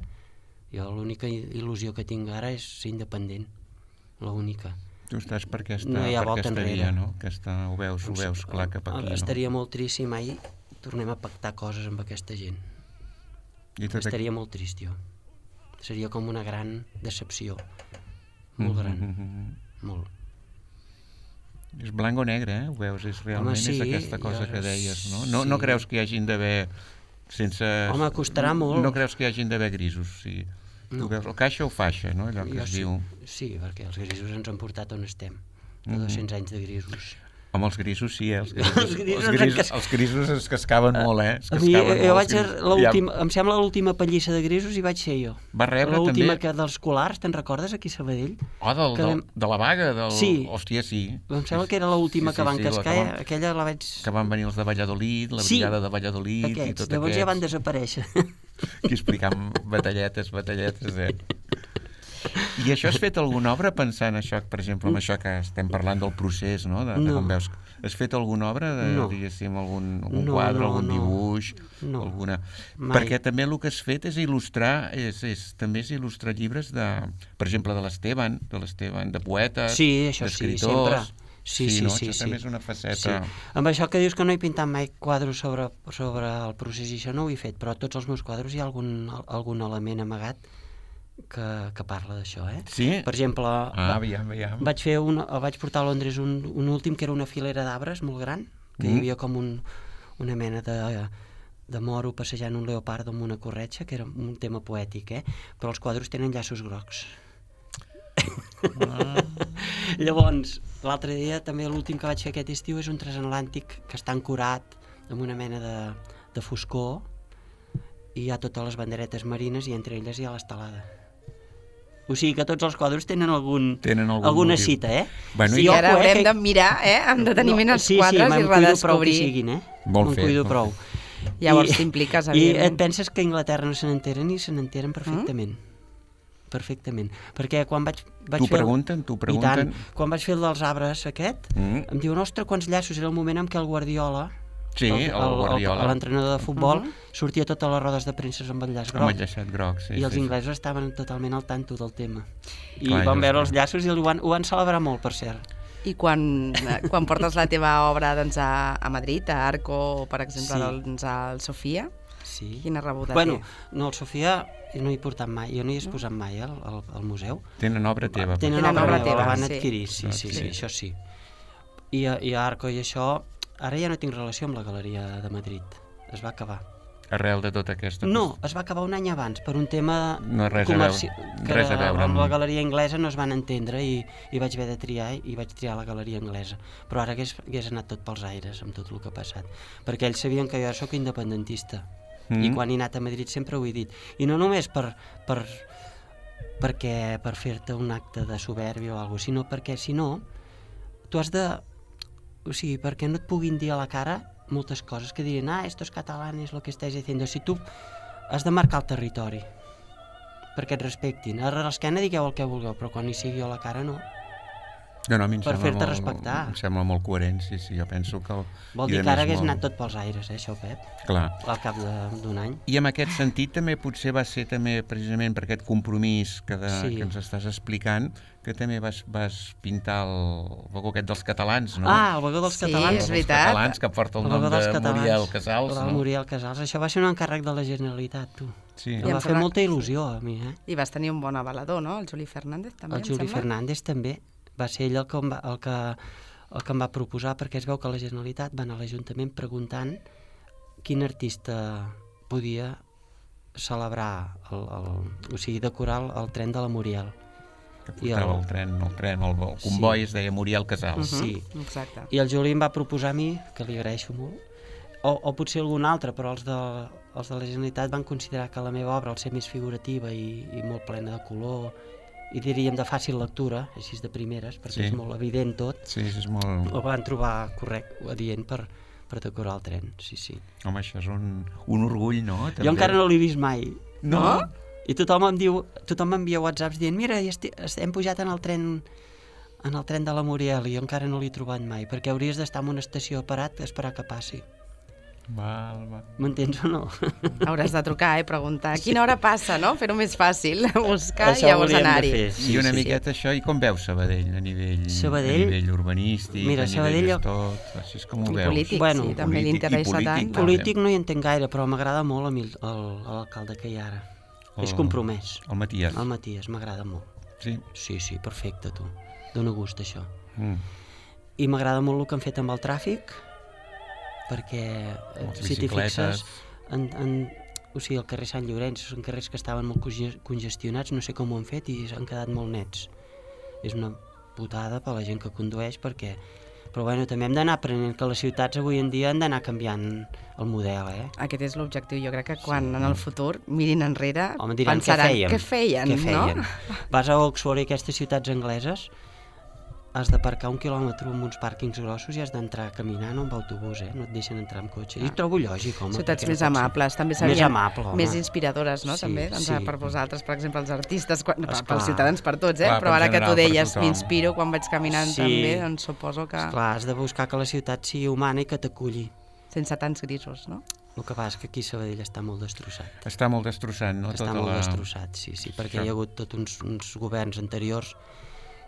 Jo l'única il·lusió que tinc ara és ser independent. l'única. Tu estàs per aquesta, No hi ha per volta aquesta enrere. via, no? Aquesta, ho veus, ho veus clar cap aquí, no? Estaria molt trist si mai tornem a pactar coses amb aquesta gent. I tot Estaria molt trist, jo. Seria com una gran decepció. Molt gran. Mm-hmm. Molt. És blanc o negre, eh? Ho veus, és realment Home, sí, és aquesta cosa jo- que deies, no? No, sí. no creus que hi hagin d'haver sense... Home, costarà molt. No creus que hi hagin d'haver grisos, sí. No. Tu veus, o caixa o faixa, no? Allò que Jo es sí, diu... sí, perquè els grisos ens han portat on estem. De Mhm. dos-cents anys de grisos. Home, els grisos sí, eh? Els grisos, Els grisos els grisos, es- els grisos es cascaven molt, eh? Es A mi, cascaven jo molt, vaig els ser grisos. l'última, em sembla l'última pallissa de grisos i vaig ser jo. Va rebre L'última també- que dels colars, te'n recordes, aquí a Sabadell? Oh, del, que del, vam- de la vaga? Del... Sí. Hòstia, sí. Em sembla que era l'última Sí, que sí, van sí, la cascar, que van- aquella la vaig... Que van venir els de Valladolid, la Sí. brigada de Valladolid i Aquests, tot llavors aquests. ja van desaparèixer. Aquí explicant batalletes, batalletes, eh? I això has fet alguna obra pensant això, per exemple, amb això que estem parlant del procés, no? De, de No. com veus. Has fet alguna obra, de, No. diguéssim, algun, algun No, quadre, no, algun no. dibuix, No. alguna... Mai. Perquè també el que has fet és il·lustrar, és, és, també és il·lustrar llibres de, per exemple, de l'Esteban, de l'Esteban, de poetes, Sí, això sí, d'escriptors. sempre. Sí, sí, no? sí, Això sí. també és una faceta... Sí. Amb això que dius que no he pintat mai quadros sobre, sobre el procés i això no ho he fet, però a tots els meus quadros hi ha algun, algun element amagat que, que parla d'això, eh? Sí? Per exemple, Ah, aviam, aviam. vaig fer un, vaig portar a Londres un, un últim que era una filera d'arbres molt gran, que Mm. hi havia com un, una mena de, de moro passejant un leopardo amb una corretja, que era un tema poètic, eh? Però els quadros tenen llaços grocs. Ah. Llavors, l'altre dia, també l'últim que vaig fer aquest estiu és un transatlàntic que està ancorat amb una mena de, de foscor i hi ha totes les banderetes marines i entre elles hi ha l'estelada. O sigui que tots els quadros tenen algun, Tenen algun alguna motiu. cita, eh? Bueno, I i- ojo, ara eh, haurem que- de mirar, eh, amb deteniment els sí, quadres sí, i me'n cuido prou que redescobrir. siguin, eh? Molt Me'n fet, cuido molt prou. Llavors I- t'impliques, I evidentment. et penses que a Anglaterra no se n'enteren i se n'enteren perfectament. Mm? Perfectament. Perquè quan vaig, vaig T'ho fer... el- pregunten, t'ho I pregunten. tant. Quan vaig fer el dels arbres aquest, Mm. em diuen, ostres, quants llaços. Era el moment en què el Guardiola, Sí, el Guardiola. l'entrenador de futbol, Mhm. sortia a totes les rodes de premsa amb el llaç Amb groc. el llaçat groc, sí. I els sí, sí. inglesos estaven totalment al tanto del tema. I Clar, van ells- veure els llaços i ho van, ho van celebrar molt, per cert. I quan, quan portes la teva obra doncs, a, a Madrid, a Arco, o per exemple, Sí. doncs, al Sofia, Sí. quina rebuda Bueno, té? no, el Sofia no hi he portat mai, jo no hi he exposat mai, eh, al, al, al museu. Tenen obra teva. Tenen Tenen obra obra meva, teva, la van sí. adquirir, sí, Ah, sí, sí. sí, això sí. I, a- I a Arco i això, ara ja no tinc relació amb la Galeria de Madrid, es va acabar. Arrel de tota aquesta... No, es va acabar un any abans, per un tema No, res a comerci- veure. que Res a veure amb amb- la galeria anglesa no es van entendre i, i vaig haver de triar i vaig triar la galeria anglesa. Però ara hagués, hagués anat tot pels aires amb tot el que ha passat. Perquè ells sabien que jo sóc independentista. Mm. I quan he anat a Madrid sempre ho he dit. I no només per, per, perquè, per fer-te un acte de soberbia o alguna cosa, sinó perquè, si no, tu has de... O sigui, perquè no et puguin dir a la cara moltes coses que diuen, ah, estos catalanes lo que estáis diciendo. Si tu has de marcar el territori perquè et respectin. A l'esquena digueu el que vulgueu, però quan hi sigui a la cara no. No, no, a mi em per sembla fer-te molt- respectar. Em sembla molt coherent, sí, sí, jo penso que... El... Vol i dir a que ara més hagués molt- anat tot pels aires, eh, això, Pep, Clar. al cap de- d'un any. I en aquest sentit també potser va ser també precisament per aquest compromís que, de, Sí. que ens estàs explicant que també vas, vas pintar el vagó aquest dels catalans, no? Ah, el vagó dels Sí, catalans. és Els veritat. catalans, que porta el, El nom vagó dels de catalans. Muriel Casals, El no? Muriel Casals. Això va ser un encàrrec de la Generalitat, tu. Sí. Em em va fer sembla- molta il·lusió a mi, eh? I vas tenir un bon avalador, no? El Juli Fernández, també, El em Juli sembla? Fernández també. Va ser ell el que, em va, el, que, el que em va proposar, perquè es veu que la Generalitat va anar a l'Ajuntament preguntant quin artista podia celebrar, el, el, o sigui, decorar el, el tren de la Muriel. Que I portava el- el tren, el tren, el, el comboi, es deia Muriel Casals. Mhm, Sí. Exacte. I el Juli em va proposar a mi, que li agraeixo molt, o, o potser algun altre, però els de, els de la Generalitat van considerar que la meva obra, al ser més figurativa i, i molt plena de color, i diríem de fàcil lectura, així de primeres, perquè Sí. és molt evident tot, Sí, sí, és molt... ho van trobar correcte, adient per, per decorar el tren, sí, sí. Home, això és un, un orgull, no? Jo encara no l'he vist mai. No? I tothom em diu, tothom m'envia whatsapps dient, mira, ja esti, hem pujat en el tren en el tren de la Muriel i jo encara no l'he trobat mai, perquè hauries d'estar en una estació parat a esperar que passi. Val, val. M'entens o no? Hauràs de trucar, eh, preguntar a quina hora passa, no? Fer-ho més fàcil, buscar Això i llavors hauríem de anar-hi. fer, Sí, I una sí, miqueta sí. això, i com veus Sabadell a nivell, Sabadell? a nivell urbanístic, Mira, a Sabadell nivell jo... tot, així és com ho I veus? polític, Bueno, sí, també li polític i interessa polític, tant. també. Polític no hi entenc gaire, però m'agrada molt a mi el- el- l'alcalde que hi ha ara. El- És compromès. El Matías. El Matías, m'agrada molt. Sí. Sí, sí, perfecte, tu. Dóna gust, això. Mm. I m'agrada molt el que han fet amb el tràfic, perquè, eh, Les si t'hi bicicletes. fixes, en, en, o sigui, el carrer Sant Llorenç són carrers que estaven molt conge- congestionats, no sé com ho han fet, i s'han quedat molt nets. És una putada per la gent que condueix, perquè... Però bueno, també hem d'anar aprenent que les ciutats avui en dia han d'anar canviant el model, eh? Aquest és l'objectiu. Jo crec que quan en el futur mirin enrere Home, diran, pensaran, què fèiem? què feien, Què feien? no? Vas a Oxford i aquestes ciutats angleses, has d'aparcar un quilòmetre en uns pàrquings grossos i has d'entrar caminant o amb autobús, eh? No et deixen entrar amb cotxe. I ho trobo lògic, home. Ciutats perquè no més pot ser. amables, també Més serien amable, home. més inspiradores, no? Sí, també, doncs, sí. per vosaltres, per exemple, els artistes, quan, per, Esclar. pels ciutadans, per tots, eh? Clar, Però per ara que general, tu per deies, tothom. m'inspiro quan vaig caminant Sí. també, doncs suposo que Esclar, has de buscar que la ciutat sigui humana i que t'aculli. sense tants grisos, no? El que passa és que aquí Sabadell està molt destrossat. Està molt destrossat, no? Està Tota molt la... destrossat, sí, sí, perquè Això. hi ha hagut tots uns, uns governs anteriors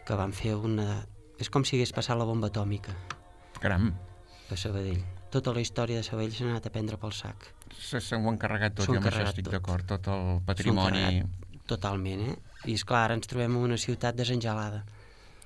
que van fer una... És com si hagués passat la bomba atòmica Caram, a Sabadell. Tota la història de Sabadell s'ha anat a prendre pel sac. se s'ho han carregat tot, S'ho jo han amb això carregat estic tot. d'acord, tot el S'ho han patrimoni, carregat Totalment, eh? I esclar, ara ens trobem en una ciutat desengelada.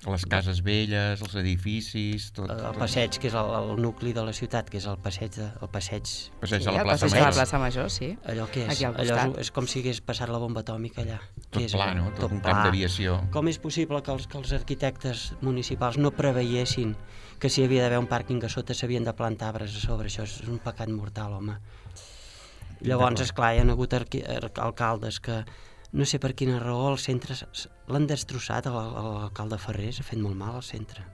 les cases velles, els edificis, tot... El tot. passeig, que és el, el nucli de la ciutat, que és el passeig, de, el passeig Passeig Sí, a la el plaça passeig de la Major. plaça Major, sí. allò que és, Aquí al allò costat. és, és com si hagués passat la bomba atòmica allà. Tot Què és pla, allò? no? Tot un camp d'aviació. Com és possible que els, que els arquitectes municipals no preveiessin que si hi havia d'haver un pàrquing a sota s'havien de plantar arbres a sobre? Això és un pecat mortal, home. Llavors, esclar, hi ha hagut arqui, ar, alcaldes que no sé per quina raó el centre s- s- l'han destrossat. El- el- L'alcalde Ferrés ha fet molt mal al centre.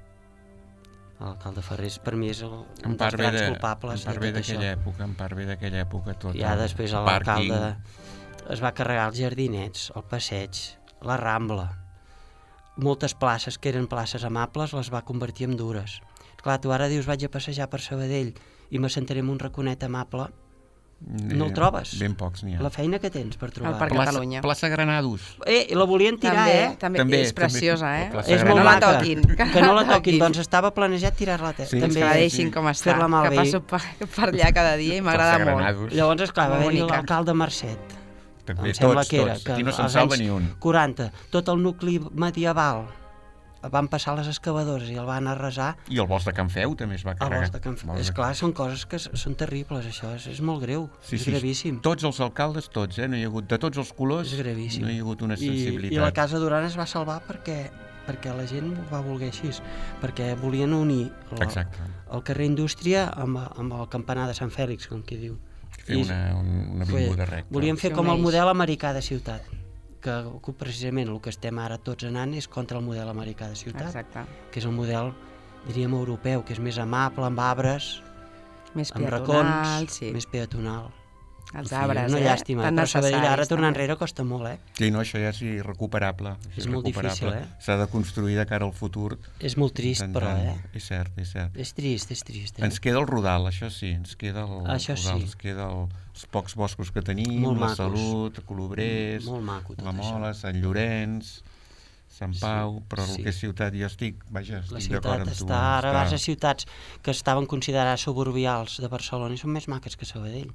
L'alcalde Ferrés per mi és el, En un part dels ve grans de- culpables en part de ve tot això. d'aquella època, en part ve d'aquella època tot. Ja el després pàrquing. l'alcalde es va carregar els jardinets, el passeig, la Rambla. Moltes places que eren places amables les va convertir en dures. Clar, tu ara dius vaig a passejar per Sabadell i me sentaré en un raconet amable. No el trobes? Ben pocs n'hi ha. La feina que tens per trobar. El Parc Plaça, Catalunya. plaça Granados. Eh, la volien tirar, També, eh? també, També, és preciosa, també. eh? La plaça És que molt no la maca. toquin. Que no la toquin. Doncs estava planejat tirar-la te- Sí, també. Que la sí, deixin sí. com està, Fer-la malbé. que passo per, per allà cada dia i m'agrada Plaça molt. Granados. Llavors, esclar, va Molt haver-hi bonica. l'alcalde Mercet. També, Em sembla tots, que era. tots. Que Aquí no se'n als salva anys ni un. quaranta, tot el nucli medieval van passar les excavadores i el van arrasar. I el bosc de Can Feu també es va El carregar. bosc de Can Feu. És clar, són coses que s- són terribles, això, és, és molt greu, Sí, és sí, gravíssim. Tots els alcaldes, tots, eh? No hi ha hagut, de tots els colors, És gravíssim. no hi ha hagut una I, sensibilitat. I la Casa Duran es va salvar perquè perquè la gent ho va voler així, perquè volien unir la, Exacte. el carrer Indústria amb, amb el campanar de Sant Fèlix, com qui diu. Fer una, un- una avinguda recta. Volien fer Sí, com el uneix. model americà de ciutat, que, que precisament el que estem ara tots anant és contra el model americà de ciutat, Exacte. que és el model, diríem, europeu, que és més amable, amb arbres, Més amb peatonal, racons, sí. més peatonal. Els En fi, arbres, una eh? llàstima, Tan però Sabadell ara necessaris, tornar també. enrere costa molt, eh? Sí, no, això ja és irrecuperable. Això És molt difícil, irrecuperable. eh? S'ha de construir de cara al futur. És molt trist, però, intentant- eh? És cert, és cert. És trist, és trist, eh? Ens queda el Rodal, això sí, ens queda el Això Rodal, sí. ens queda el, els pocs boscos que tenim, Molt la macos. Salut, Colobrers, Molt maco tot la això. Mola, Sant Llorenç, Sant Pau, però sí. el que és ciutat, jo estic, vaja, La estic d'acord ciutat amb tu. està... Ara vas a ciutats que estaven considerades suburbials de Barcelona i són més maques que Sabadell.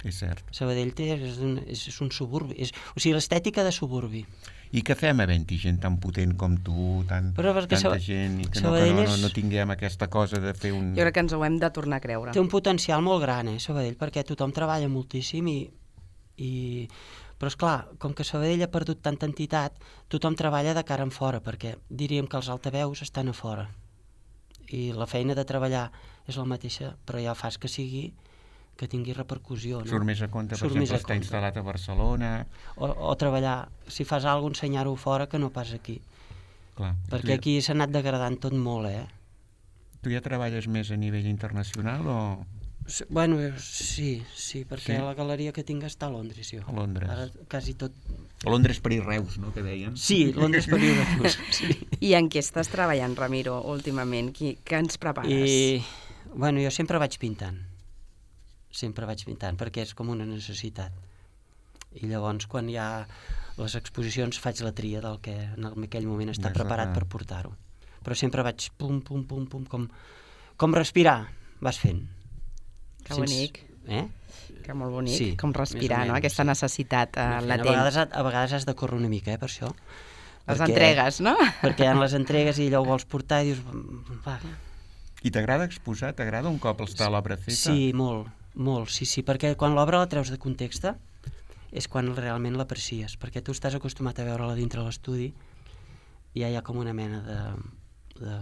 És cert. Sabadell té, és, un, és, és un suburbi, és, o sigui, l'estètica de suburbi. I què fem havent-hi gent tan potent com tu, tan, Però perquè tanta Saba- gent, i que no, que Sabadell no, no, és- no tinguem aquesta cosa de fer un... Jo crec que ens ho hem de tornar a creure. Té un potencial molt gran, eh, Sabadell, perquè tothom treballa moltíssim i... i... Però, és clar, com que Sabadell ha perdut tanta entitat, tothom treballa de cara en fora, perquè diríem que els altaveus estan a fora. I la feina de treballar és la mateixa, però ja fas que sigui que tingui repercussió, no? Surt més a compte, per Surt més exemple, a està compte. instal·lat a Barcelona... O, o treballar, si fas alguna cosa, ensenyar-ho fora que no pas aquí. Clar. Perquè tu, aquí s'ha anat degradant tot molt, eh? tu ja treballes més a nivell internacional o S- Bueno, eh, sí, sí, perquè Sí? la galeria que tinc està a Londres, jo. a Londres? Ara quasi tot... A Londres, París, Reus, no?, que deien. Sí, Londres per viure. Sí. I en què estàs treballant, Ramiro, últimament? Qui, què ens prepares? I, bueno, jo sempre vaig pintant. sempre vaig pintant, perquè és com una necessitat. I llavors, quan hi ha les exposicions, faig la tria del que en aquell moment està Exacte. preparat per portar-ho. Però sempre vaig pum, pum, pum, pum, com, com respirar, vas fent. Que bonic. Eh? Que molt bonic, Sí, com respirar, més o no? menys, Aquesta sí. necessitat uh, A latent. vegades, a vegades has de córrer una mica, eh, per això. Les Perquè- entregues, no? Perquè hi ha les entregues i allò ho vols portar i dius... Va. I t'agrada exposar? T'agrada un cop està l'obra feta? Sí, molt, molt, sí, sí, perquè quan l'obra la treus de context és quan realment l'aprecies, perquè tu estàs acostumat a veure-la dintre l'estudi i ja hi ha com una mena de... de...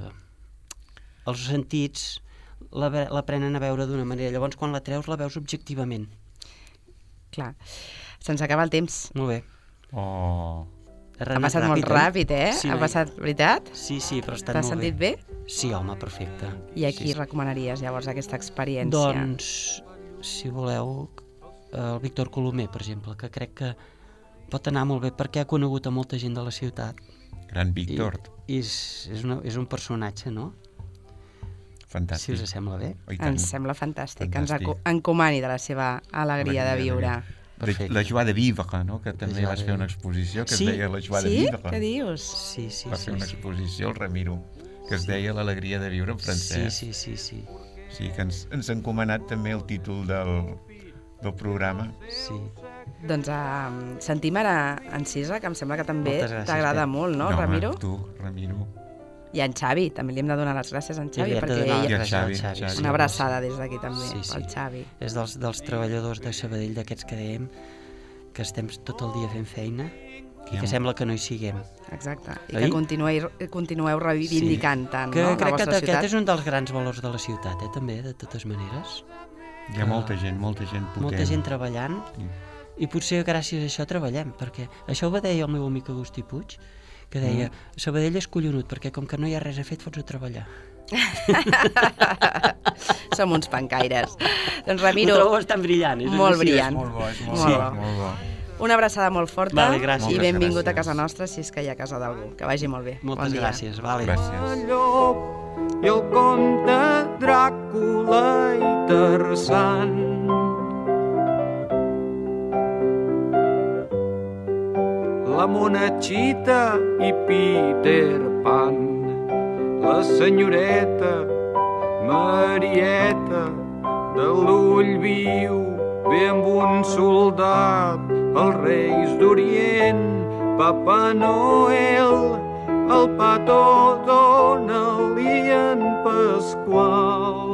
Els sentits la, ve- la prenen a veure d'una manera, llavors quan la treus la veus objectivament. Clar. Se'ns acaba el temps. Molt bé. Oh... Ha passat molt ràpid, eh? Sí, ha noi. passat, veritat? Sí, sí, però ha estat T'has molt sentit bé? Sí, home, perfecte. I a qui sí, sí. recomanaries llavors aquesta experiència? Doncs, si voleu, el Víctor Colomer, per exemple, que crec que pot anar molt bé perquè ha conegut a molta gent de la ciutat. Gran Víctor. I, i és, és, una, és un personatge, no? Fantàstic. Si us sembla bé. Oh, i tant. Ens sembla fantàstic, que ens Fantàstic. aco- encomani de la seva alegria de viure. De, la joie de vivre, no? Que també joie vas de fer una vivre. exposició que Sí? es deia la joie de Sí? vivre. Què dius? Sí, sí, Va sí. fer una sí. exposició, el Ramiro, que es deia l'alegria de viure en Sí, francès. sí, sí, sí. Sí, que ens, ens ha encomanat també el títol del, del programa. sí. Doncs uh, sentim ara en Cisa, que em sembla que també Moltes gràcies, t'agrada Pep. molt, no, home, Ramiro? tu, Ramiro. I en Xavi, també li hem de donar les gràcies a en Xavi, I li hem de perquè donar ell... I les el Xavi, gràcies al Xavi. sí. Una abraçada des d'aquí també, Sí, sí. pel Xavi. És dels, dels treballadors de Sabadell, d'aquests que dèiem, que estem tot el dia fent feina i que Ja. sembla que no hi siguem. Exacte. I Oi? que continueu, continueu reivindicant tant, Que no, la crec que vostra aquest ciutat. és un dels grans valors de la ciutat, eh, també, de totes maneres. Hi ha molta gent, molta gent potent. Molta gent treballant, Sí. i potser gràcies a això treballem, perquè això ho deia el meu amic Agustí Puig, que deia, Mm. Sabadell és collonut, perquè com que no hi ha res a fer, et fots a treballar. Som uns pancaires. Doncs Ho Ramiro, trobo bastant brillant. És molt així, brillant. Molt bo, és molt, Molt bo, bo. molt bo. una abraçada molt forta Vale, gràcies. i Moltes benvingut a gràcies. casa nostra si és que hi ha casa d'algú. Que vagi molt bé. Moltes bon dia. gràcies, vale. Gràcies. Llop i el conte Dràcula i Tarzan. La Monachita i Peter Pan, la senyoreta Marieta de l'ull viu, ve amb un soldat, els reis d'Orient, Papa Noel, el Pato Donald i en Pasqual.